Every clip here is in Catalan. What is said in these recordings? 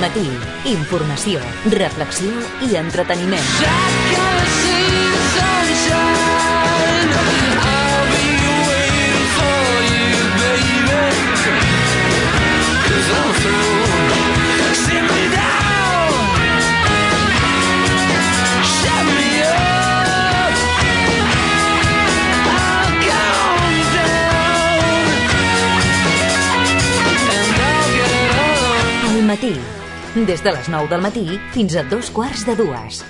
Matí. Informació, reflexió i entreteniment. Matí. Des de les 9 del matí fins a 2:15.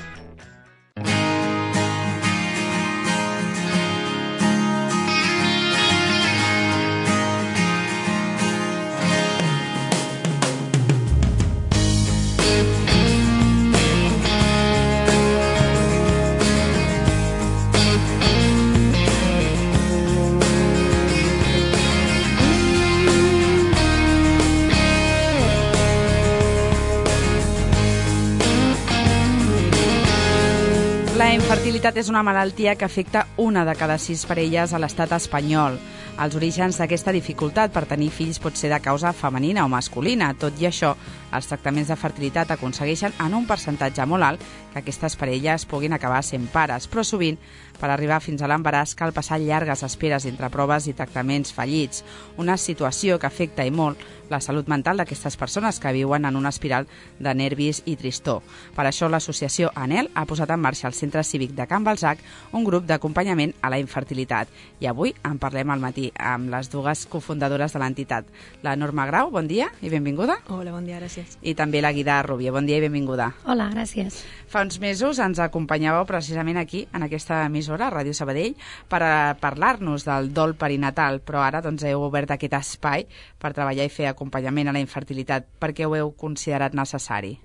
La infertilitat és una malaltia que afecta una de cada 6 parelles a l'estat espanyol. Els orígens d'aquesta dificultat per tenir fills pot ser de causa femenina o masculina. Tot i això, els tractaments de fertilitat aconsegueixen en un percentatge molt alt que aquestes parelles puguin acabar sent pares, però sovint, per arribar fins a l'embaràs, cal passar llargues esperes entre proves i tractaments fallits, una situació que afecta i molt la salut mental d'aquestes persones que viuen en una espiral de nervis i tristor. Per això l'associació ANEL ha posat en marxa al Centre Cívic de Can Balzac un grup d'acompanyament a la infertilitat. I avui en parlem al matí amb les dues cofundadores de l'entitat. La Norma Grau, bon dia i benvinguda. Hola, bon dia, gràcies. I també la Guida Rubio, bon dia i benvinguda. Hola, gràcies. Fa uns mesos ens acompanyàveu precisament aquí, en aquesta emissora, Ràdio Sabadell, per parlar-nos del dol perinatal, però ara heu obert aquest espai per treballar i fer acompanyament a la infertilitat. Per què ho heu considerat necessari?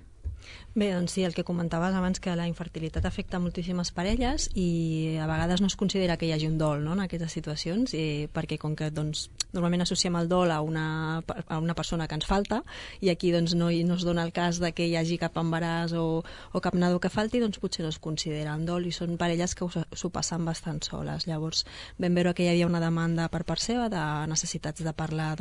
Bé, doncs sí, el que comentaves abans, que la infertilitat afecta moltíssimes parelles i a vegades no es considera que hi hagi un dol, no?, en aquestes situacions, perquè com que normalment associem el dol a una persona que ens falta, i aquí no es dona el cas de que hi hagi cap embaràs o cap nadó que falti, doncs potser no es considera un dol, i són parelles que s'ho passen bastant soles. Llavors vam veure que hi havia una demanda per part seva de necessitats de parlar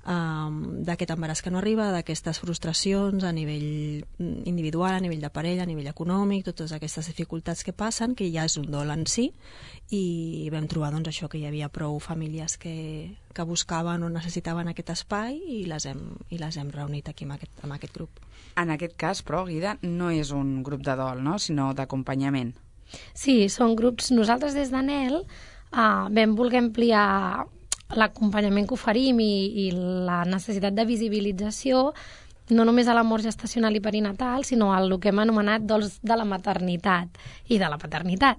d'aquest embaràs que no arriba, d'aquestes frustracions a nivell individual, a nivell de parella, a nivell econòmic, totes aquestes dificultats que passen, que ja és un dol en si, i vam trobar això, que hi havia prou famílies que buscaven o necessitaven aquest espai, i les hem reunit aquí amb aquest grup. En aquest cas, però, Guida, no és un grup de dol, no?, sinó d'acompanyament. Sí, són grups. Nosaltres des d'ANEL vam voler ampliar l'acompanyament que oferim i la necessitat de visibilització no només a la mort gestacional i perinatal, sinó al que hem anomenat dols de la maternitat i de la paternitat.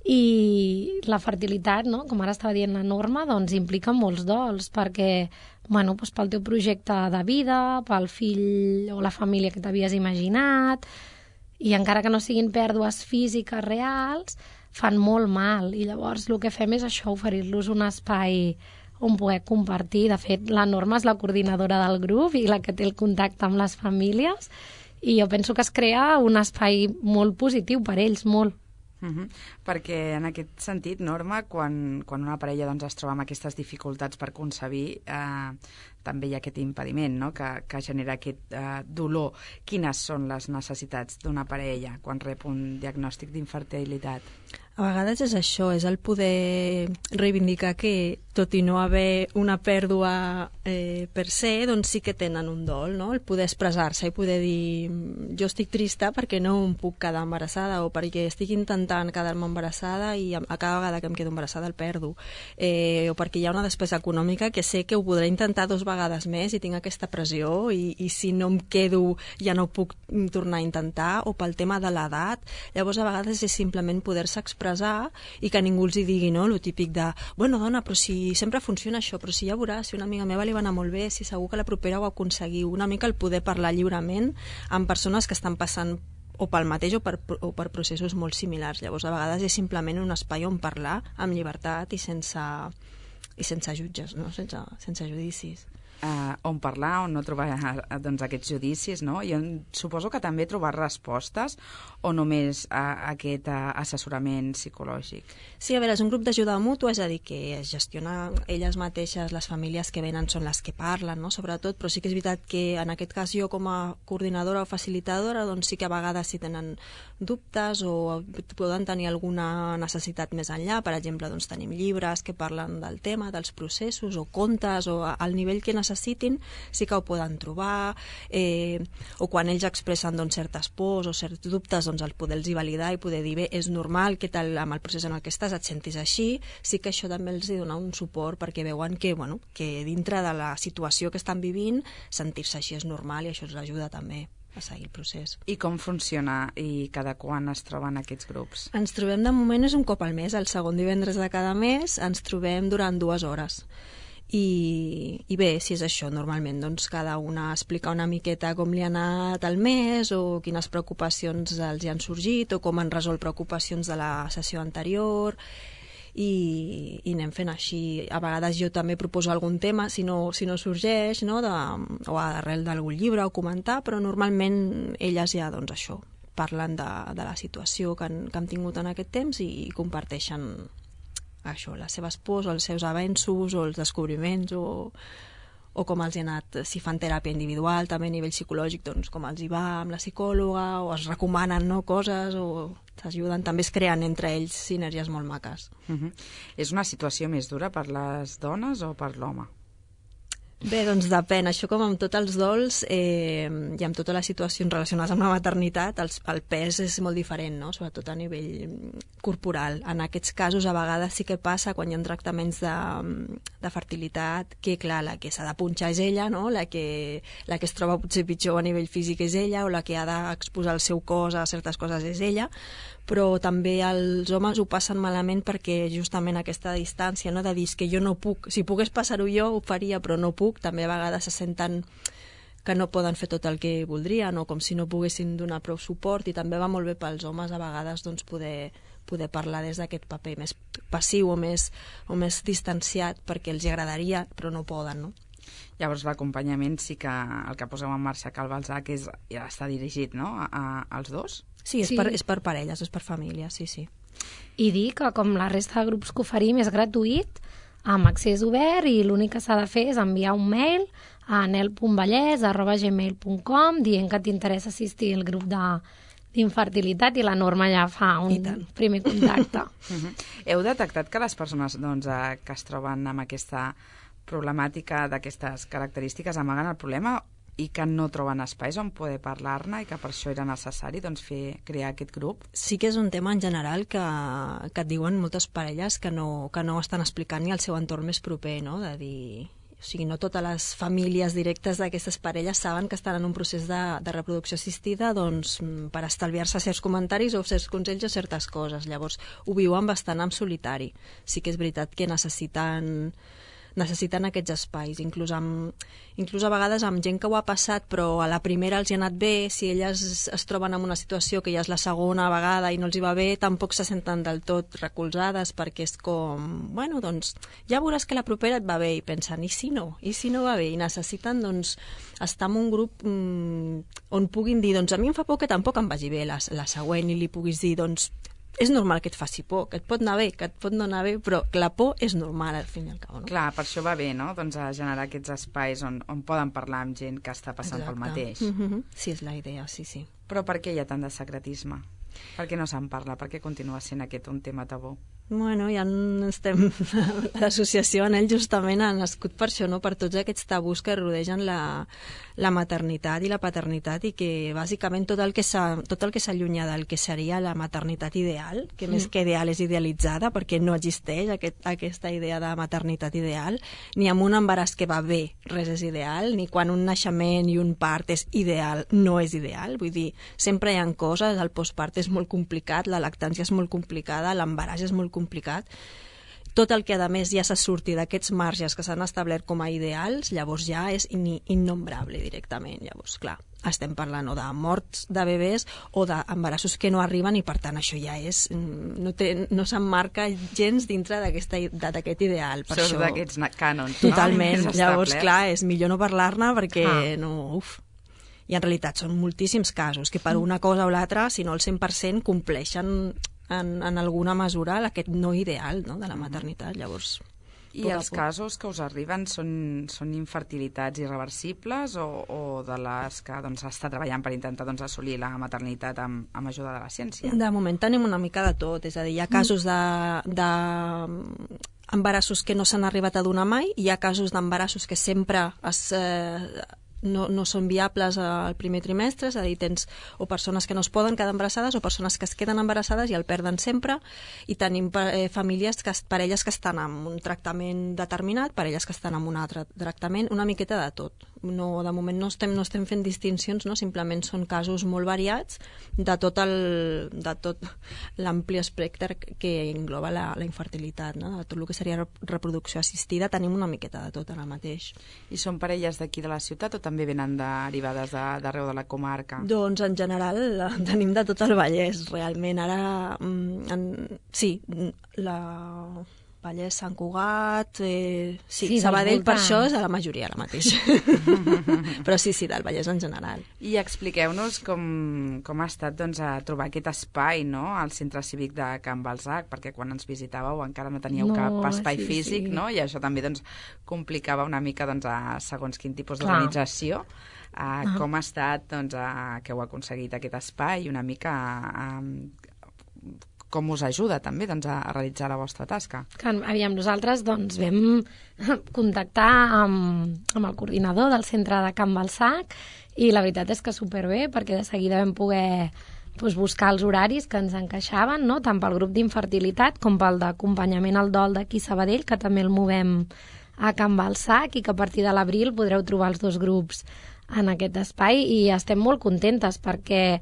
I la fertilitat, no?, com ara estava dient la Norma, implica molts dols, perquè pel teu projecte de vida, pel fill o la família que t'havies imaginat, i encara que no siguin pèrdues físiques reals, fan molt mal. I llavors el que fem és això, oferir-los un espai on poder compartir. De fet, la Norma és la coordinadora del grup i la que té el contacte amb les famílies, i jo penso que es crea un espai molt positiu per ells, molt. Perquè en aquest sentit, Norma, quan una parella es troba amb aquestes dificultats per concebir, també hi ha aquest impediment, no?, que genera aquest dolor. Quines són les necessitats d'una parella quan rep un diagnòstic d'infertilitat? A vegades és això, és el poder reivindicar que, tot i no haver una pèrdua per se, doncs sí que tenen un dol, no? El poder expressar-se i poder dir jo estic trista perquè no em puc quedar embarassada, o perquè estic intentant quedar-me embarassada i a cada vegada que em quedo embarassada el perdo, o perquè hi ha una despesa econòmica que sé que ho podré intentar 2 vegades més i tinc aquesta pressió, i si no em quedo ja no puc tornar a intentar, o pel tema de l'edat. Llavors a vegades és simplement poder-se expressar i que ningú els hi digui, no?, lo típic de bueno, dona, però si sempre funciona això, però si ja veuràs, si una amiga meva li va anar molt bé, si segur que la propera ho aconseguiu. Una mica el poder parlar lliurement amb persones que estan passant o pel mateix o per processos molt similars. Llavors a vegades és simplement un espai on parlar amb llibertat i sense jutges, no?, sense judicis. on parlar, on no trobar aquests judicis, no? Jo suposo que també trobar respostes o només aquest assessorament psicològic? Sí, a veure, és un grup d'ajuda mútua, és a dir, que es gestiona elles mateixes, les famílies que venen són les que parlen, no? Sobretot, però sí que és veritat que en aquest cas jo com a coordinadora o facilitadora doncs sí que a vegades si tenen dubtes o poden tenir alguna necessitat més enllà, per exemple, doncs tenim llibres que parlen del tema, dels processos o contes o al nivell que necessitin sí que ho poden trobar o quan ells expressen doncs, certes pors o certs dubtes doncs el poder-los validar i poder dir bé, és normal que tal, amb el procés en el que estàs et sentis així, sí que això també els dona un suport perquè veuen que, bueno, que dintre de la situació que estan vivint sentir-se així és normal i això els ajuda també a seguir el procés. I com funciona i cada quan es troben aquests grups? Ens trobem de moment és un cop al mes, el segon divendres de cada mes ens trobem durant 2 hores. I bé, si és això, normalment doncs cada una explica una miqueta com li ha anat el mes o quines preocupacions els hi han sorgit o com han resolt preocupacions de la sessió anterior i anem fent així. A vegades jo també proposo algun tema si no sorgeix, no? O arrel d'algun llibre o comentar, però normalment elles ja doncs això parlen de la situació que han tingut en aquest temps i comparteixen això, les seves pors o els seus avenços o els descobriments o com els hi ha anat, si fan teràpia individual també a nivell psicològic, doncs com els hi va amb la psicòloga o es recomanen coses o s'ajuden, també es creen entre ells sinergies molt maques. És una situació més dura per les dones o per l'home? Bé, doncs depèn. Això com amb tots els dols i amb totes les situacions relacionades amb la maternitat, el pes és molt diferent, no? Sobretot a nivell corporal. En aquests casos a vegades sí que passa quan hi ha tractaments de fertilitat que, clar, la que s'ha de punxar és ella, no? La que es troba potser pitjor a nivell físic és ella o la que ha d'exposar el seu cos a certes coses és ella, però també els homes ho passen malament perquè justament aquesta distància, no? De dir que jo no puc, si pogués passar-ho jo ho faria però no puc, també a vegades se senten que no poden fer tot el que voldrien o com si no poguessin donar prou suport i també va molt bé pels homes a vegades doncs, poder parlar des d'aquest paper més passiu o més distanciat perquè els agradaria però no poden, no? Llavors l'acompanyament sí que el que poseu en marxa Cal Balzac ja està dirigit, no?, als dos? Sí, és per parelles, és per famílies, sí. I dir que com la resta de grups que oferim és gratuït, amb accés obert i l'únic que s'ha de fer és enviar un mail a anel.vallès@gmail.com dient que t'interessa assistir al grup d'infertilitat i la Norma ja fa un primer contacte. Heu detectat que les persones que es troben amb aquesta problemàtica d'aquestes característiques amaguen el problema i que no troben espais on poder parlar-ne i que per això era necessari crear aquest grup? Sí que és un tema en general que et diuen moltes parelles que no estan explicant ni al seu entorn més proper, no? De dir... O sigui, no totes les famílies directes d'aquestes parelles saben que estan en un procés de reproducció assistida doncs, per estalviar-se certs comentaris o certs consells o certes coses. Llavors, ho viuen bastant en solitari. Sí que és veritat que necessiten aquests espais, inclús a vegades amb gent que ho ha passat però a la primera els hi ha anat bé, si elles es troben en una situació que ja és la segona vegada i no els hi va bé, tampoc se senten del tot recolzades perquè és com, bueno, doncs ja veuràs que la propera et va bé i pensen, i si no va bé? I necessiten doncs estar en un grup on puguin dir, doncs a mi em fa por que tampoc em vagi bé la següent i li puguis dir, doncs és normal que et faci por, que et pot anar bé, que et pot no anar bé, però la por és normal al fin i al cabo, no? Clar, per això va bé, no?, doncs a generar aquests espais on poden parlar amb gent que està passant pel mateix. Sí, és la idea, sí. Però per què hi ha tant de secretisme? Per què no se'n parla? Per què continua sent aquest un tema tabú? Bueno, ja estem... L'associació Anel justament ha nascut per això, no? Per tots aquests tabús que rodegen la maternitat i la paternitat i que bàsicament tot el que s'allunya del que seria la maternitat ideal, que més que ideal és idealitzada perquè no existeix aquesta idea de maternitat ideal, ni amb un embaràs que va bé res és ideal, ni quan un naixement i un part és ideal, no és ideal. Vull dir, sempre hi ha coses, el postpart és molt complicat, la lactància és molt complicada, l'embaràs és molt complicat. Tot el que a més ja se surti d'aquests marges que s'han establert com a ideals, llavors ja és innombrable directament. Llavors, clar, estem parlant o de morts de bebès o d'embarassos que no arriben, i per tant això ja és... no s'emmarca gens dintre d'aquest ideal. Per Surt això, d'aquests cànons, totalment. no? Llavors, clar, és millor no parlar-ne perquè I en realitat són moltíssims casos que per una cosa o l'altra, si no el 100%, compleixen en alguna mesura aquest no ideal, no?, de la maternitat. Llavors, I els casos que us arriben són infertilitats irreversibles o de les que s'està treballant per intentar assolir la maternitat amb ajuda de la ciència? De moment tenim una mica de tot, és a dir, hi ha casos d'embarassos que no s'han arribat a donar mai, i hi ha casos d'embarassos que sempre no són viables al primer trimestre, és a dir, tens o persones que no es poden quedar embarassades o persones que es queden embarassades i el perden sempre, i tenim parelles que estan amb un tractament determinat, parelles que estan amb un altre tractament, una miqueta de tot. De moment no estem fent distincions, no? Simplement són casos molt variats de tot l'ampli espectre que engloba la infertilitat, no? De tot el que seria reproducció assistida tenim una miqueta de tot ara mateix. I són parelles d'aquí de la ciutat o també venen derivades d'arreu de la comarca? Doncs en general tenim de tot el Vallès, realment. Ara, sí, la Vallès, Sant Cugat, sí, Sabadell per això és a la majoria ara mateix. Però sí, del Vallès en general. I expliqueu-nos com ha estat a trobar aquest espai, no?, al Centre Cívic de Can Balsac, perquè quan ens visitàveu encara no teníeu cap espai físic, no?, i això també complicava una mica segons quin tipus d'organització. Com ha estat que heu aconseguit aquest espai i una mica com us ajuda també a realitzar la vostra tasca? Aviam, nosaltres vam contactar amb el coordinador del centre de Can Balsac, i la veritat és que superbé, perquè de seguida vam poder buscar els horaris que ens encaixaven, no?, tant pel grup d'infertilitat com pel d'acompanyament al dol d'aquí Sabadell, que també el movem a Can Balsac, i que a partir de l'abril podreu trobar els dos grups en aquest espai, i estem molt contentes perquè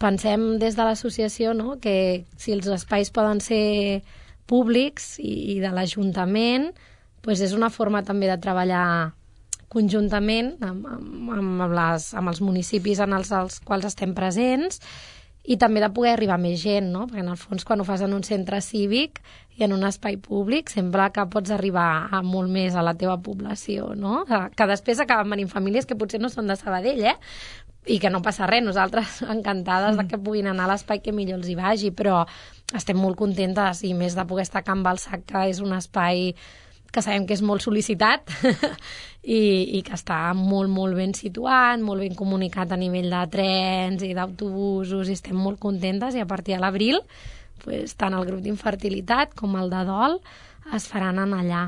pensem des de l'associació, no?, que si els espais poden ser públics i de l'Ajuntament, és una forma també de treballar conjuntament amb els municipis en els quals estem presents, i també de poder arribar a més gent, no?, perquè en el fons quan ho fas en un centre cívic i en un espai públic sembla que pots arribar a molt més a la teva població, no?, que després acaben venint famílies que potser no són de Sabadell, i que no passa res, nosaltres encantades que puguin anar a l'espai que millor els hi vagi, però estem molt contentes, i més de poder estar a Can Balsac, que és un espai que sabem que és molt sol·licitat i que està molt, molt ben situat, molt ben comunicat a nivell de trens i d'autobusos, i estem molt contentes, i a partir de l'abril tant el grup d'infertilitat com el de dol es faran en allà.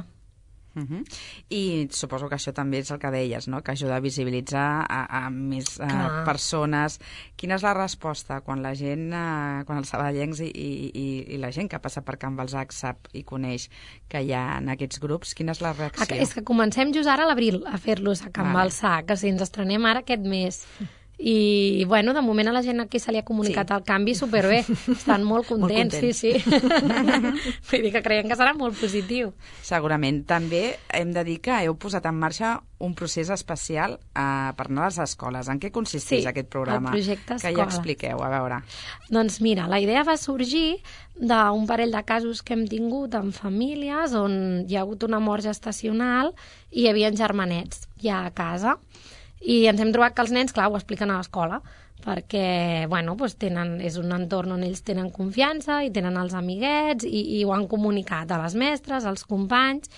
I suposo que això també és el que deies, no?, que ajuda a visibilitzar a més persones. Quina és la resposta quan la gent, quan els sabadellencs i la gent que passa per Can Balsac sap i coneix que hi ha en aquests grups? Quina és la reacció? És que comencem just ara a l'abril a fer-los a Can Balsac, que ens estrenem ara aquest mes. I, de moment a la gent aquí se li ha comunicat el canvi superbé. Estan molt contents, sí. Vull dir que creiem que serà molt positiu. Segurament. També hem de dir que heu posat en marxa un procés especial per anar a les escoles. En què consisteix aquest programa? El projecte escola. Que ja expliqueu, a veure. Doncs mira, la idea va sorgir d'un parell de casos que hem tingut en famílies on hi ha hagut una mort gestacional i hi havia germanets ja a casa. I ens hem trobat que els nens, clar, ho expliquen a l'escola, perquè, és un entorn on ells tenen confiança i tenen els amiguets i ho han comunicat a les mestres, als companys,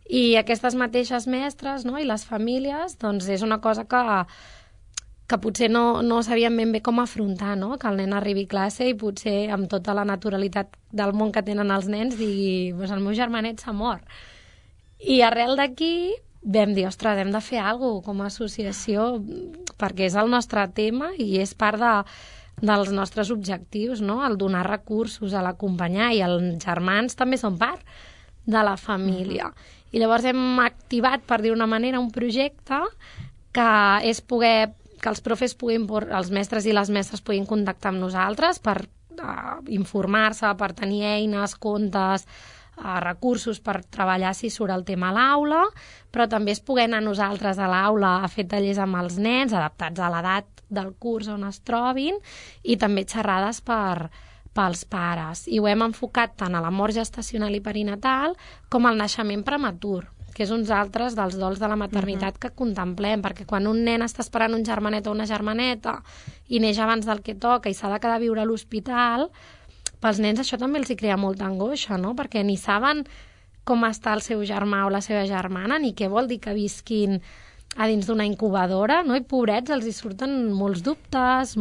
i aquestes mateixes mestres, no?, i les famílies, doncs és una cosa que potser no sabien ben bé com afrontar, no?, que el nen arribi a classe i potser amb tota la naturalitat del món que tenen els nens digui, el meu germanet s'ha mort. I arrel d'aquí vam dir, ostres, hem de fer alguna cosa com a associació, perquè és el nostre tema i és part dels nostres objectius, no?, el donar recursos, a l'acompanyar, i els germans també són part de la família. I llavors hem activat, per dir una manera, un projecte que és que els profes els mestres i les mestres puguin contactar amb nosaltres per informar-se, per tenir eines, comptes, recursos per treballar si surt el tema a l'aula, però també és poder anar nosaltres a l'aula a fer tallers amb els nens, adaptats a l'edat del curs on es trobin, i també xerrades pels pares. I ho hem enfocat tant a la mort gestacional i perinatal com al naixement prematur, que és uns altres dels dols de la maternitat que contemplem, perquè quan un nen està esperant un germanet o una germaneta i neix abans del que toca i s'ha de quedar a viure a l'hospital, pels nens això també els hi crea molta angoixa, no? Perquè ni saben com està el seu germà o la seva germana, ni què vol dir que visquin a dins d'una incubadora, no? I pobrets, els hi surten molts dubtes,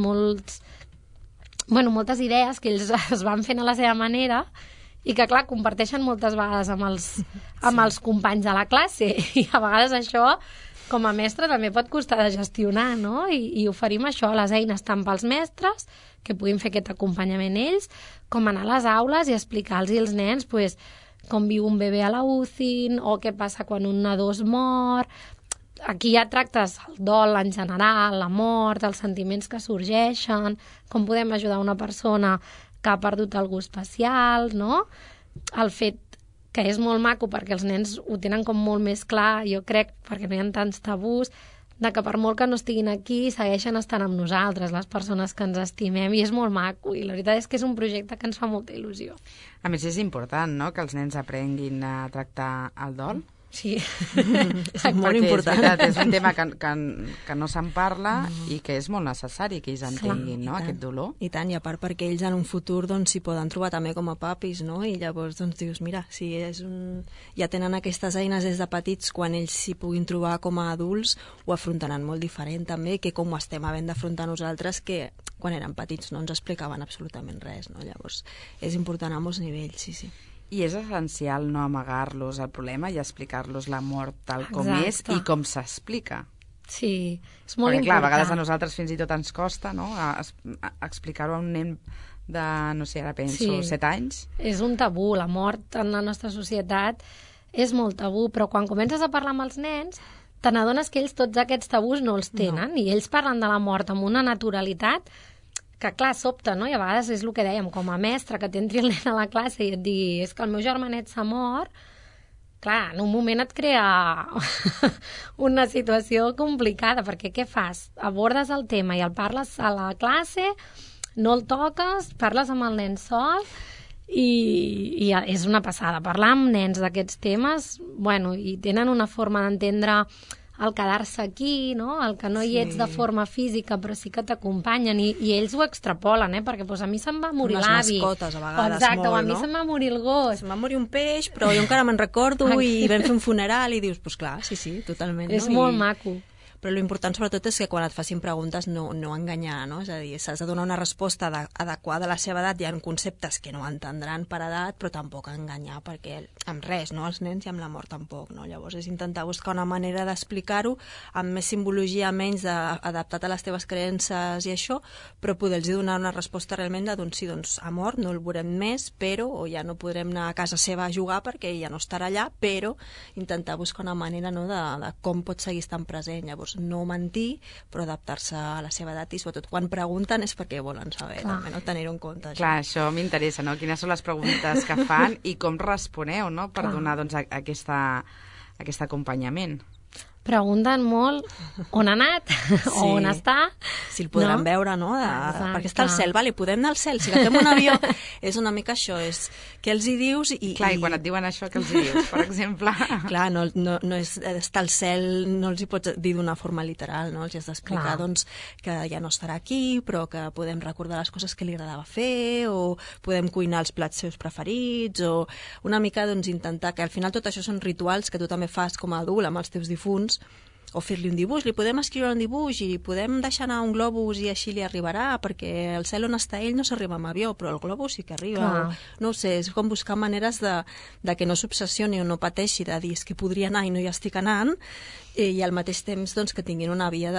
moltes idees que ells es van fent a la seva manera i que, clar, comparteixen moltes vegades amb els companys de la classe. I a vegades això, com a mestre, també pot costar de gestionar, no? I oferim això, les eines tant pels mestres, que puguin fer aquest acompanyament ells, com anar a les aules i explicar-los als nens pues, com viu un bebè a la UCI o què passa quan un nadó es mor. Aquí ja tractes el dol en general, la mort, els sentiments que sorgeixen, com podem ajudar una persona que ha perdut algú especial, no? El fet que és molt maco perquè els nens ho tenen com molt més clar, jo crec, perquè no hi ha tants tabús, de que per molt que no estiguin aquí, segueixen estant amb nosaltres, les persones que ens estimem, i és molt maco, i la veritat és que és un projecte que ens fa molta il·lusió. A més, és important, no?, que els nens aprenguin a tractar el dol. Sí. És molt important. És veritat, és un tema que no se'n parla i que és molt necessari que ells entenguin, no?, aquest dolor. I tant, i a part perquè ells en un futur s'hi poden trobar també com a papis, no? I llavors dius, mira, si ja tenen aquestes eines des de petits, quan ells s'hi puguin trobar com a adults, ho afrontaran molt diferent també que com ho estem havent d'afrontar nosaltres, que quan eren petits no ens explicaven absolutament res, no? Llavors és important a molts nivells, sí. I és essencial no amagar-los el problema i explicar-los la mort tal com és i com s'explica. Sí, és molt important. Perquè, clar, a vegades a nosaltres fins i tot ens costa, no?, explicar-ho a un nen de, no sé, ara penso, 7 anys. És un tabú, la mort en la nostra societat és molt tabú, però quan comences a parlar amb els nens te n'adones que ells tots aquests tabús no els tenen, i ells parlen de la mort amb una naturalitat que, clar, sobta, no? I a vegades és el que dèiem, com a mestre, que t'entri el nen a la classe i et digui és que el meu germanet s'ha mort, clar, en un moment et crea una situació complicada, perquè què fas? Abordes el tema i el parles a la classe, no el toques, parles amb el nen sol, i és una passada. Parlar amb nens d'aquests temes, bueno, i tenen una forma d'entendre el quedar-se aquí, no? El que no hi ets de forma física, però sí que t'acompanyen, i ells ho extrapolen, perquè a mi se'm va morir l'avi. Unes mascotes, a vegades, exacte, molt, o a mi se'm va morir el gos. Se'm va morir un peix, però jo encara me'n recordo, i vam fer un funeral, i dius, pues clar, sí, totalment. És molt maco. Però l'important sobretot és que quan et facin preguntes no enganyar, no? És a dir, s'has de donar una resposta adequada a la seva edat. Hi ha conceptes que no entendran per edat, però tampoc enganyar, perquè amb res, no? Els nens i amb la mort tampoc, no? Llavors és intentar buscar una manera d'explicar-ho amb més simbologia, menys adaptat a les teves creences i això, però poder-los donar una resposta realment de, doncs sí, doncs ha mort, no el veurem més, però, o ja no podrem anar a casa seva a jugar perquè ja no estarà allà, però intentar buscar una manera, no, de com pot seguir estant present. Llavors no mentir, però adaptar-se a la seva edat, i sobretot quan pregunten és perquè volen saber, també, no? Tenir-ho en compte. Clar, això m'interessa, no? Quines són les preguntes que fan i com responeu, no?, per donar, doncs, aquest acompanyament. Pregunten molt on ha anat, o on està. Si el podran veure, no? Perquè està al cel, vale, podem anar al cel, si agafem un avió, és una mica això, és què els hi dius i... Clar, i quan et diuen això, què els hi dius, per exemple? Clar, no és estar al cel, no els hi pots dir d'una forma literal, no? Els has d'explicar, doncs, que ja no estarà aquí, però que podem recordar les coses que li agradava fer, o podem cuinar els plats seus preferits, o una mica, doncs, intentar que al final tot això són rituals que tu també fas com a adult amb els teus difunts, o fer-li un dibuix, li podem escriure un dibuix i li podem deixar anar un globus i així li arribarà, perquè al cel on està ell no s'arriba amb avió, però el globus sí que arriba. No ho sé, és com buscar maneres de que no s'obsessioni o no pateixi, de dir que podria anar i no hi estic anant, i al mateix temps, doncs, que tinguin una via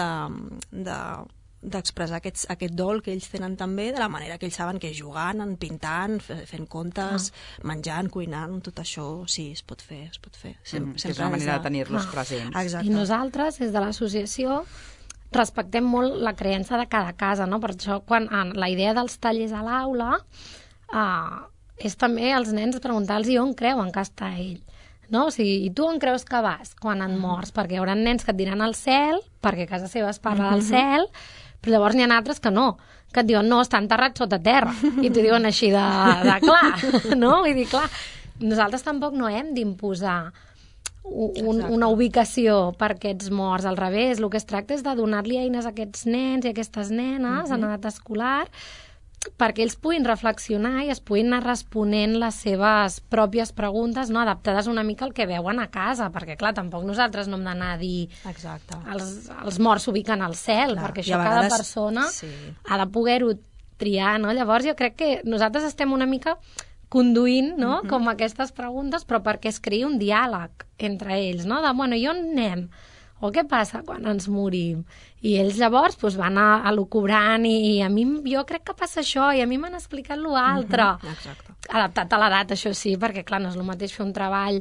d'expressar aquest dol que ells tenen també, de la manera que ells saben que és jugant, pintant, fent contes, menjant, cuinant, tot això sí, es pot fer. És una manera de tenir-los presents. Exacte. I nosaltres, des de l'associació, respectem molt la creença de cada casa, no? Per això, quan la idea dels tallers a l'aula és també als nens preguntar-los on creuen que està ell. No? O sigui, i tu on creus que vas quan et mors? Perquè hi haurà nens que et diran al cel, perquè a casa seva es parla del cel, però llavors n'hi ha altres que no, que et diuen, no, està enterrat sota terra, i t'ho diuen així de clar, no? Vull dir, clar, nosaltres tampoc no hem d'imposar una ubicació per aquests morts, al revés, el que es tracta és de donar-li eines a aquests nens i a aquestes nenes en edat escolar perquè ells puguin reflexionar i es puguin anar responent les seves pròpies preguntes, no? Adaptades una mica al que veuen a casa, perquè clar, tampoc nosaltres no hem d'anar a dir els morts s'ubiquen al cel, perquè això cada persona ha de poder-ho triar, no? Llavors jo crec que nosaltres estem una mica conduint, no?, com aquestes preguntes, però perquè es creï un diàleg entre ells, no?, de, bueno, i on anem? O què passa quan ens morim? I ells llavors van elucubrant i a mi jo crec que passa això i a mi m'han explicat l'altre. Adaptat a l'edat, això sí, perquè clar, no és el mateix fer un treball,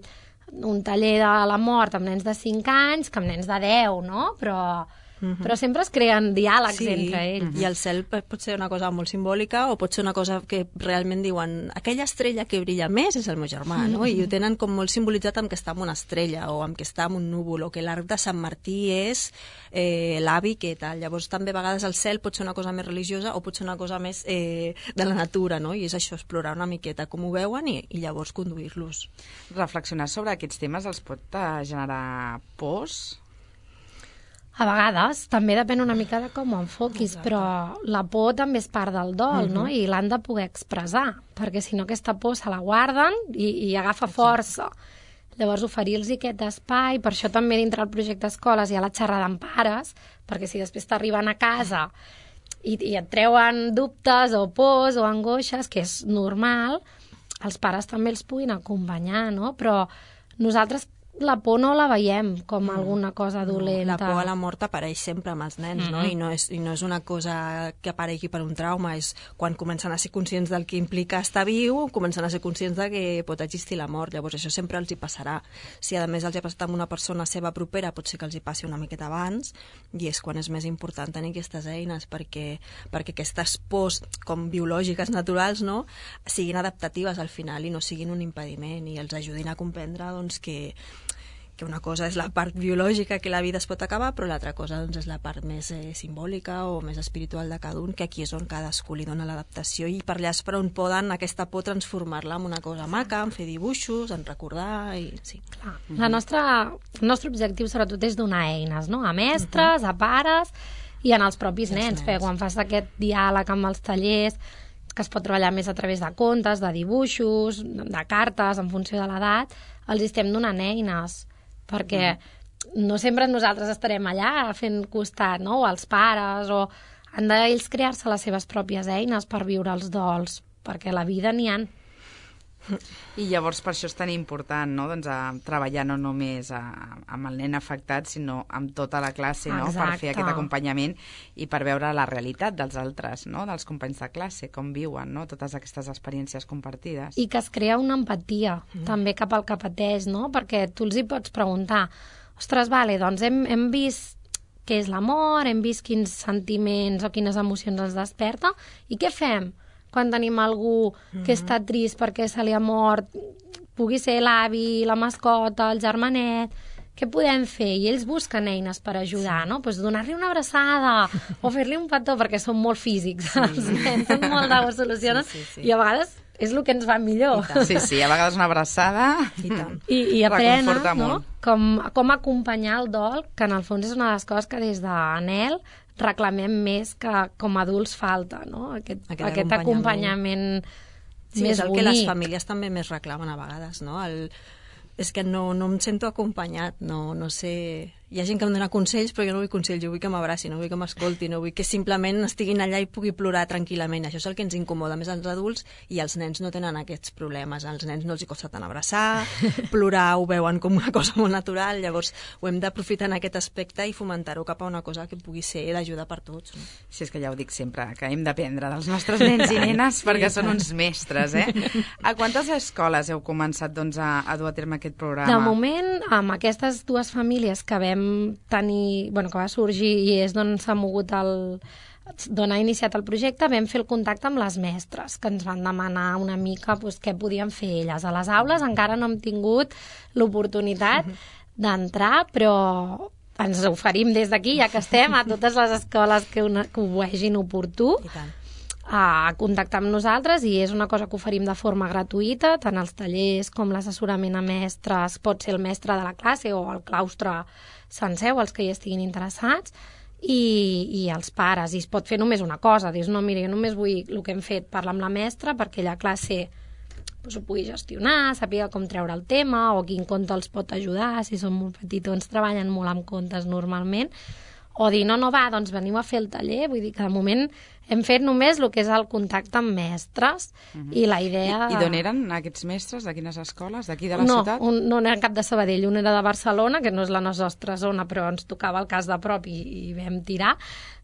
un taller de la mort amb nens de 5 anys que amb nens de 10, no? Però sempre es creen diàlegs entre ells. I el cel pot ser una cosa molt simbòlica o pot ser una cosa que realment diuen aquella estrella que brilla més és el meu germà, no? I ho tenen com molt simbolitzat amb que està en una estrella o amb que està en un núvol o que l'arc de Sant Martí és l'avi que tal. Llavors també a vegades el cel pot ser una cosa més religiosa o pot ser una cosa més de la natura, no? I és això, explorar una miqueta com ho veuen i llavors conduir-los. Reflexionar sobre aquests temes els pot generar pors? A vegades, també depèn una mica de com ho enfoquis, però la por també és part del dol, no? I l'han de poder expressar, perquè si no aquesta por se la guarden i agafa força. Llavors oferir-los aquest espai, per això també dintre del projecte Escoles hi ha la xerrada amb pares, perquè si després t'arriben a casa i et treuen dubtes o pors o angoixes, que és normal, els pares també els puguin acompanyar, no? Però nosaltres la por no la veiem com alguna cosa dolenta. La por a la mort apareix sempre amb els nens, no? I no és una cosa que aparegui per un trauma, és quan comencen a ser conscients del que implica estar viu, comencen a ser conscients de que pot existir la mort. Llavors això sempre els hi passarà. Si a més els hi ha passat amb una persona seva propera, pot ser que els hi passi una miqueta abans, i és quan és més important tenir aquestes eines perquè aquestes pors com biològiques naturals, no?, siguin adaptatives al final i no siguin un impediment i els ajudin a comprendre doncs, que una cosa és la part biològica, que la vida es pot acabar, però l'altra cosa doncs, és la part més simbòlica o més espiritual de cada un, que aquí és on cadascú li dona l'adaptació i per allà és per on poden aquesta por transformar-la en una cosa maca, en fer dibuixos, en recordar i sí. Clar. El nostre objectiu sobretot és donar eines, no?, a mestres, a pares i en els propis nens. Quan fas aquest diàleg amb els tallers, que es pot treballar més a través de contes, de dibuixos, de cartes, en funció de l'edat, els estem donant eines, perquè no sempre nosaltres estarem allà fent costat, no?, o els pares, o han d'ells crear-se les seves pròpies eines per viure els dols, perquè la vida n'hi ha. I llavors per això és tan important, no?, doncs, treballar no només amb el nen afectat, sinó amb tota la classe, no?, per fer aquest acompanyament i per veure la realitat dels altres, no?, dels companys de classe, com viuen, no?, totes aquestes experiències compartides. I que es crea una empatia també cap al que pateix, no?, perquè tu els hi pots preguntar, ostres, vale, doncs hem vist què és l'amor, hem vist quins sentiments o quines emocions ens desperta, i què fem quan tenim algú que està trist perquè se li ha mort, pugui ser l'avi, la mascota, el germanet, què podem fer? I ells busquen eines per ajudar, no? Pues donar-li una abraçada o fer-li un petó, perquè són molt físics, els nens, són molt de solucions, i a vegades és el que ens va millor. Sí, a vegades una abraçada i aprenen, no?, com acompanyar el dol, que en el fons és una de les coses que des d'Anel reclamem més que com a adults falta, no?, aquest acompanyament més bonic. És el que les famílies també més reclamen a vegades, no? És que no em sento acompanyat, no sé... Hi ha gent que em dona consells, però jo no vull consells, jo vull que m'abraci, no vull que m'escolti, no vull que simplement estiguin allà i pugui plorar tranquil·lament. Això és el que ens incomoda més als adults, i els nens no tenen aquests problemes. Als nens no els hi costa tant abraçar, plorar ho veuen com una cosa molt natural, llavors ho hem d'aprofitar en aquest aspecte i fomentar-ho cap a una cosa que pugui ser d'ajuda per tots. No? Sí, és que ja ho dic sempre, que hem d'aprendre dels nostres nens i nenes perquè són uns mestres, eh? A quantes escoles heu començat doncs, a dur a terme aquest programa? De moment, amb aquestes dues famílies que vam tenir, que va sorgir i és d'on s'ha mogut d'on ha iniciat el projecte, vam fer el contacte amb les mestres, que ens van demanar una mica què podien fer elles. A les aules encara no hem tingut l'oportunitat d'entrar, però ens oferim des d'aquí, ja que estem, a totes les escoles que ho vegin oportú, a contactar amb nosaltres, i és una cosa que oferim de forma gratuïta, tant els tallers com l'assessorament a mestres, pot ser el mestre de la classe o el claustre sencer, o els que hi estiguin interessats, i els pares. I es pot fer només una cosa, dius, no, mira, jo només vull el que hem fet, parlar amb la mestra perquè la classe ho pugui gestionar, sàpiga com treure el tema o quin conte els pot ajudar, si són molt petitons treballen molt amb contes normalment, o dir, no, va, doncs veniu a fer el taller. Vull dir que de moment hem fet només el que és el contacte amb mestres, i la idea... I d'on eren aquests mestres? De quines escoles? D'aquí de la ciutat? No era cap de Sabadell, un era de Barcelona, que no és la nostra zona, però ens tocava el cas de prop i vam tirar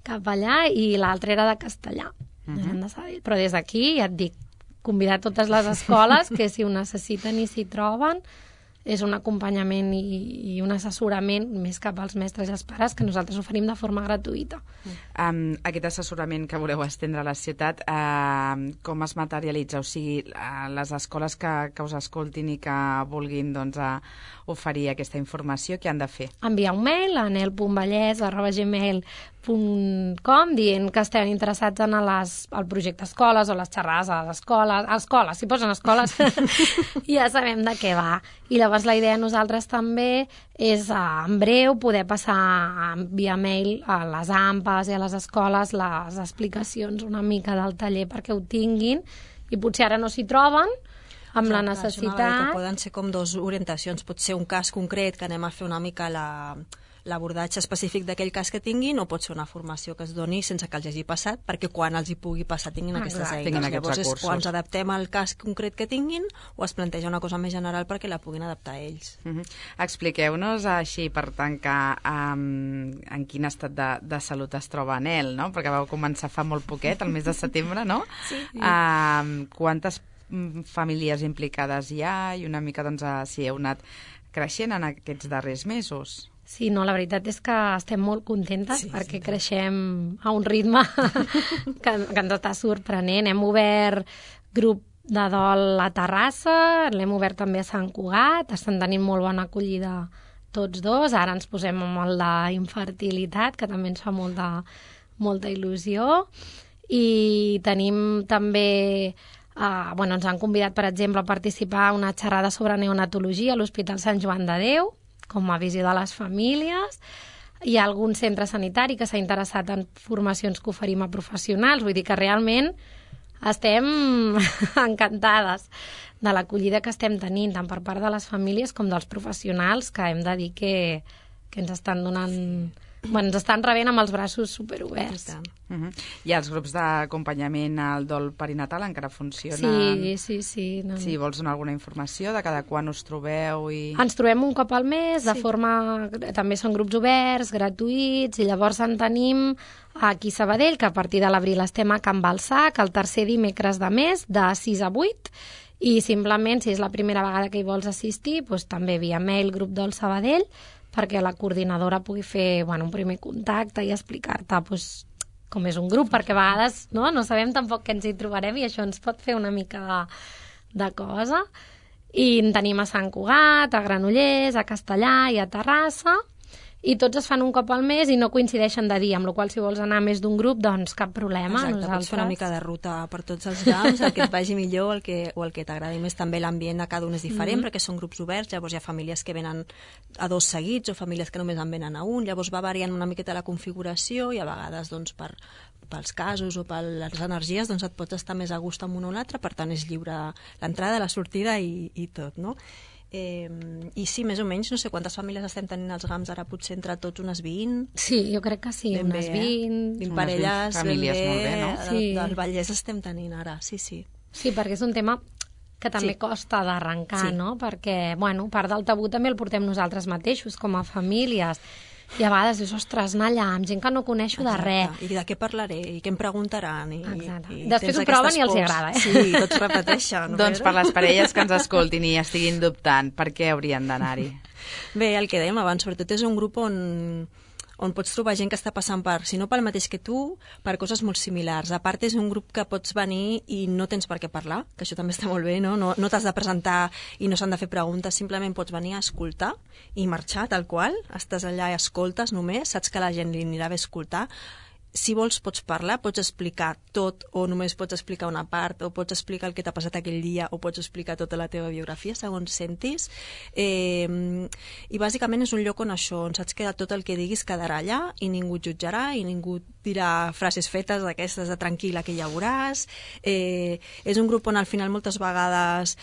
cap allà, i l'altre era de Castellà, eren de Sabadell. Però des d'aquí, ja et dic, convidar totes les escoles que si ho necessiten i s'hi troben, és un acompanyament i un assessorament més cap als mestres i als pares que nosaltres oferim de forma gratuïta. Aquest assessorament que voleu estendre a la ciutat, com es materialitza? O sigui, les escoles que us escoltin i que vulguin oferir aquesta informació, què han de fer? Enviar un mail a anel.vallès@gmail.com dient que estem interessats en el projecte escoles o les xerrades a les escoles. Si posen escoles ja sabem de què va. I llavors la idea de nosaltres també és en breu poder passar via mail a les AMPAs i a les escoles les explicacions una mica del taller perquè ho tinguin, i potser ara no s'hi troben amb la necessitat. Que poden ser com dues orientacions, pot ser un cas concret que anem a fer una mica l'abordatge específic d'aquell cas que tinguin, o pot ser una formació que es doni sense que els hagi passat, perquè quan els hi pugui passar tinguin aquestes eines. Llavors és quan ens adaptem al cas concret que tinguin, o es planteja una cosa més general perquè la puguin adaptar a ells. Expliqueu-nos així, per tancar, en quin estat de salut es troba Anel, no? Perquè vau començar fa molt poquet, el mes de setembre, no? Sí. Quantes famílies implicades hi ha, i una mica si heu anat creixent en aquests darrers mesos? Sí, no, la veritat és que estem molt contentes perquè creixem a un ritme que ens està sorprenent. Hem obert grup de dol a Terrassa, l'hem obert també a Sant Cugat, estan tenint molt bona acollida tots dos. Ara ens posem amb el d'infertilitat, que també ens fa molta il·lusió. I tenim també... ens han convidat, per exemple, a participar a una xerrada sobre neonatologia a l'Hospital Sant Joan de Déu, com a visió de les famílies. Hi ha algun centre sanitari que s'ha interessat en formacions que oferim a professionals. Vull dir que realment estem encantades de l'acollida que estem tenint, tant per part de les famílies com dels professionals, que hem de dir que ens estan donant... ens estan rebent amb els braços superoberts. I els grups d'acompanyament al dol perinatal encara funcionen? Sí. Si vols donar alguna informació de cada quan us trobeu? Ens trobem un cop al mes, de forma... També són grups oberts, gratuïts, i llavors en tenim aquí a Sabadell, que a partir de l'abril estem a Can Balsac, el tercer dimecres de mes, de 6 a 8, i simplement, si és la primera vegada que hi vols assistir, també via mail grup dol Sabadell, perquè la coordinadora pugui fer un primer contacte i explicar-te com és un grup, perquè a vegades no sabem tampoc què ens hi trobarem, i això ens pot fer una mica de cosa. I en tenim a Sant Cugat, a Granollers, a Castellà i a Terrassa, i tots es fan un cop al mes i no coincideixen de dia, amb la qual cosa si vols anar més d'un grup, doncs cap problema. Exacte, pots fer una mica de ruta per tots els GAMs, el que et vagi millor o el que t'agradi més. També l'ambient de cada un és diferent, perquè són grups oberts, llavors hi ha famílies que venen a 2 seguits o famílies que només en venen a un, llavors va variant una miqueta la configuració, i a vegades pels casos o per les energies et pots estar més a gust amb un o l'altre, per tant és lliure l'entrada, la sortida i tot, no? I sí, més o menys, no sé quantes famílies estem tenint als GAMs ara, potser entre tots unes 20. Sí, jo crec que sí, unes 20. 20 parelles, famílies molt bé, no? Del Vallès estem tenint ara, sí. Sí, perquè és un tema que també costa d'arrencar, no? Perquè, part del tabú també el portem nosaltres mateixos, com a famílies. I a vegades dius, ostres, anar allà amb gent que no coneixo de res. I de què parlaré, i què em preguntaran. Després ho proven i els agrada. Sí, tots repeteixen. Doncs per les parelles que ens escoltin i estiguin dubtant, per què haurien d'anar-hi? Bé, el que dèiem abans, sobretot és un grup on on pots trobar gent que està passant per, si no pel mateix que tu, per coses molt similars. A part, és un grup que pots venir i no tens per què parlar, que això també està molt bé, no? No t'has de presentar i no s'han de fer preguntes, simplement pots venir a escoltar i marxar tal qual, estàs allà i escoltes només, saps que la gent li anirà bé escoltar. Si vols pots parlar, pots explicar tot o només pots explicar una part o pots explicar el que t'ha passat aquell dia o pots explicar tota la teva biografia segons sentis i bàsicament és un lloc on això, on saps que tot el que diguis quedarà allà i ningú et jutjarà i ningú dirà frases fetes d'aquestes de tranquil·la que ja veuràs. És un grup on al final moltes vegades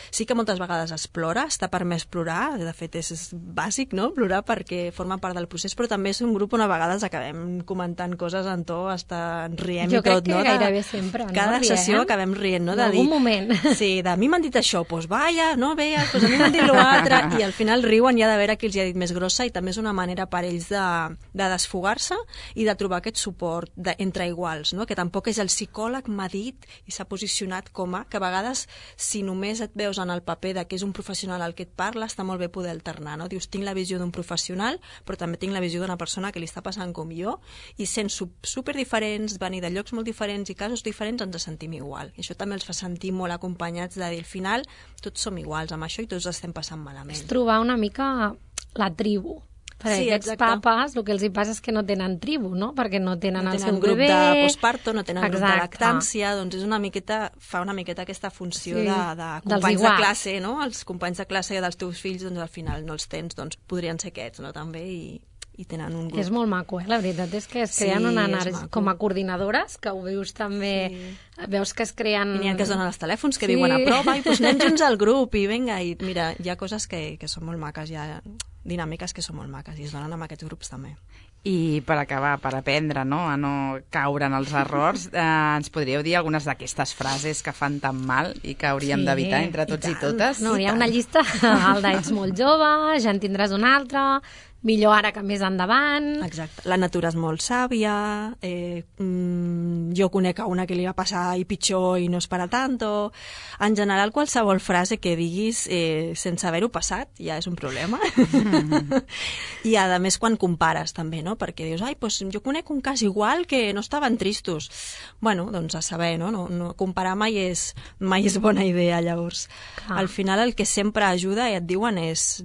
es plora, està permès plorar, de fet és bàsic, no?, plorar perquè forma part del procés, però també és un grup on a vegades acabem comentant coses en to, hasta riem i tot, no? Jo crec que gairebé sempre, no? Cada sessió acabem rient, no? En algun moment. Sí, de mi m'han dit això, doncs vaya, no veia, doncs a mi m'han dit l'altre, i al final riuen ja de veure qui els hi ha dit més grossa i també és una manera per ells de desfogar-se i de trobar aquest suport entre iguals, no? Que tampoc és el psicòleg m'ha dit i s'ha posicionat com a, que a vegades si només et veus en el paper de que és un professional al que et parla, està molt bé poder alternar, no? Dius, tinc la visió d'un professional, però també tinc la visió d'una persona que li està passant com jo i sent super diferents, venir de llocs molt diferents i casos diferents, ens sentim igual. I això també els fa sentir molt acompanyats de dir, al final, tots som iguals amb això i tots estem passant malament. És trobar una mica la tribu. Perquè sí, aquests papes, el que els hi passa és que no tenen tribu, no? Perquè no tenen el seu grup bebè... de postparto, no tenen grup de lactància, doncs és una miqueta, fa una miqueta aquesta funció de companys de classe, no? Els companys de classe dels teus fills, doncs al final no els tens, doncs podrien ser aquests, no? També, i tenen un grup. És molt maco, la veritat és que es creen una energia, com a coordinadores, que ho veus també, veus que es creen... I n'hi ha que es donen els telèfons, que diuen a prova, i doncs anem junts al grup, i vinga, i mira, hi ha coses que són molt maques, hi ha dinàmiques que són molt maques, i es donen amb aquests grups també. I per acabar, per aprendre, no?, a no caure en els errors, ens podríeu dir algunes d'aquestes frases que fan tan mal i que hauríem d'evitar entre tots i totes? No, hi ha una llista, el d'ets molt jove, ja en tindràs una altra, millor ara que més endavant... Exacte. La natura és molt sàvia, jo conec una que li va passar i pitjor i no és para tanto... En general, qualsevol frase que diguis sense haver-ho passat ja és un problema. I a més quan compares també, no? Perquè dius, ai, doncs jo conec un cas igual que no estaven tristos. Bueno, doncs a saber, no? No comparar mai és bona idea, llavors. Al final el que sempre ajuda, i et diuen, és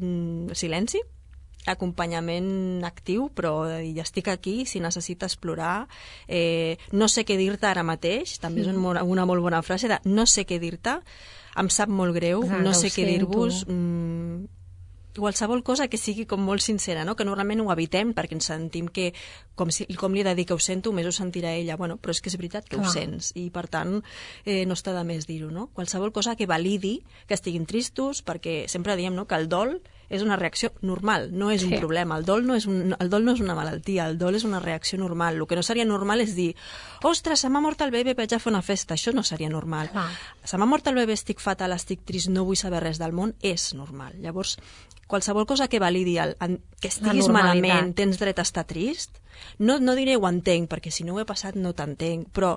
silenci, acompanyament actiu, però ja estic aquí, si necessites plorar, no sé què dir-te ara mateix, també és una molt bona frase de no sé què dir-te, em sap molt greu, no sé què dir-vos, qualsevol cosa que sigui com molt sincera, no? Que normalment ho evitem perquè ens sentim que com li he de dir que ho sento, més ho sentirà ella, bueno, però és que és veritat que ho sents i per tant no està de més dir-ho, no? Qualsevol cosa que validi que estiguin tristos, perquè sempre diem, no?, que el dol és una reacció normal, no és un problema. El dol no és una malaltia, el dol és una reacció normal. El que no seria normal és dir, ostres, se m'ha mort el bebè, vaig a fer una festa. Això no seria normal. Se m'ha mort el bebè, estic fatal, estic trist, no vull saber res del món, és normal. Llavors, qualsevol cosa que validi que estiguis malament, tens dret a estar trist, no diré ho entenc, perquè si no ho he passat no t'entenc, però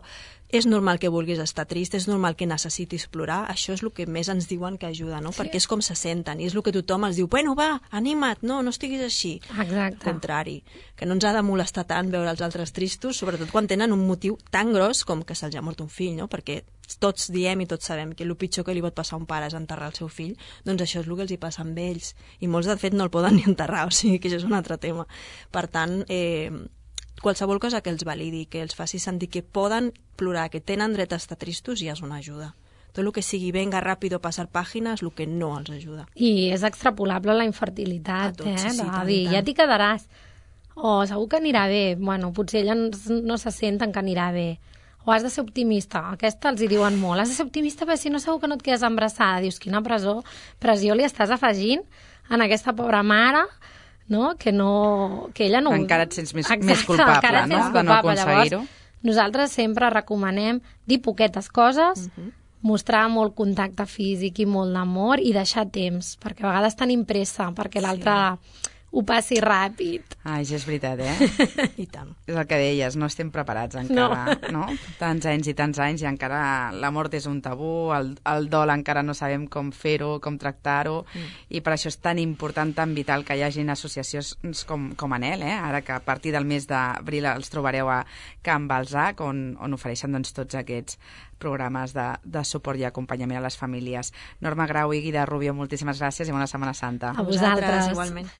és normal que vulguis estar trist, és normal que necessitis plorar, això és el que més ens diuen que ajuda, no? Perquè és com se senten, i és el que tothom els diu, bueno, va, anima't, no estiguis així. Exacte. Al contrari, que no ens ha de molestar tant veure els altres tristos, sobretot quan tenen un motiu tan gros com que se'ls ha mort un fill, no? Perquè tots diem i tots sabem que el pitjor que li pot passar a un pare és enterrar el seu fill, doncs això és el que els hi passa amb ells, i molts de fet no el poden ni enterrar, o sigui que això és un altre tema. Per tant, qualsevol cosa que els validi, que els faci sentir que poden plorar, que tenen dret a estar tristos, ja és una ajuda. Tot el que sigui venga ràpido passar pàgines, el que no els ajuda. I és extrapolable a la infertilitat, sí, de dir, ja t'hi quedaràs, o segur que anirà bé, bueno, potser elles no se senten que anirà bé, o has de ser optimista, aquesta els hi diuen molt, has de ser optimista perquè si no segur que no et quedes embarassada, dius, quina pressió li estàs afegint en aquesta pobra mare, no? Que ella no... Encara et sents més culpable, no? De no aconseguir-ho. Nosaltres sempre recomanem dir poquetes coses, mostrar molt contacte físic i molt d'amor i deixar temps, perquè a vegades tenim pressa, perquè l'altre ho passi ràpid. Ai, això és veritat, I tant. És el que deies, no estem preparats encara, no? Tants anys i encara la mort és un tabú, el dol encara no sabem com fer-ho, com tractar-ho, i per això és tan important, tan vital que hi hagin associacions com Anel, ara que a partir del mes d'abril els trobareu a Can Balzac, on ofereixen doncs, tots aquests programes de suport i acompanyament a les famílies. Norma Grau i Guida Rubio, moltíssimes gràcies i bona Setmana Santa. A vosaltres. Igualment.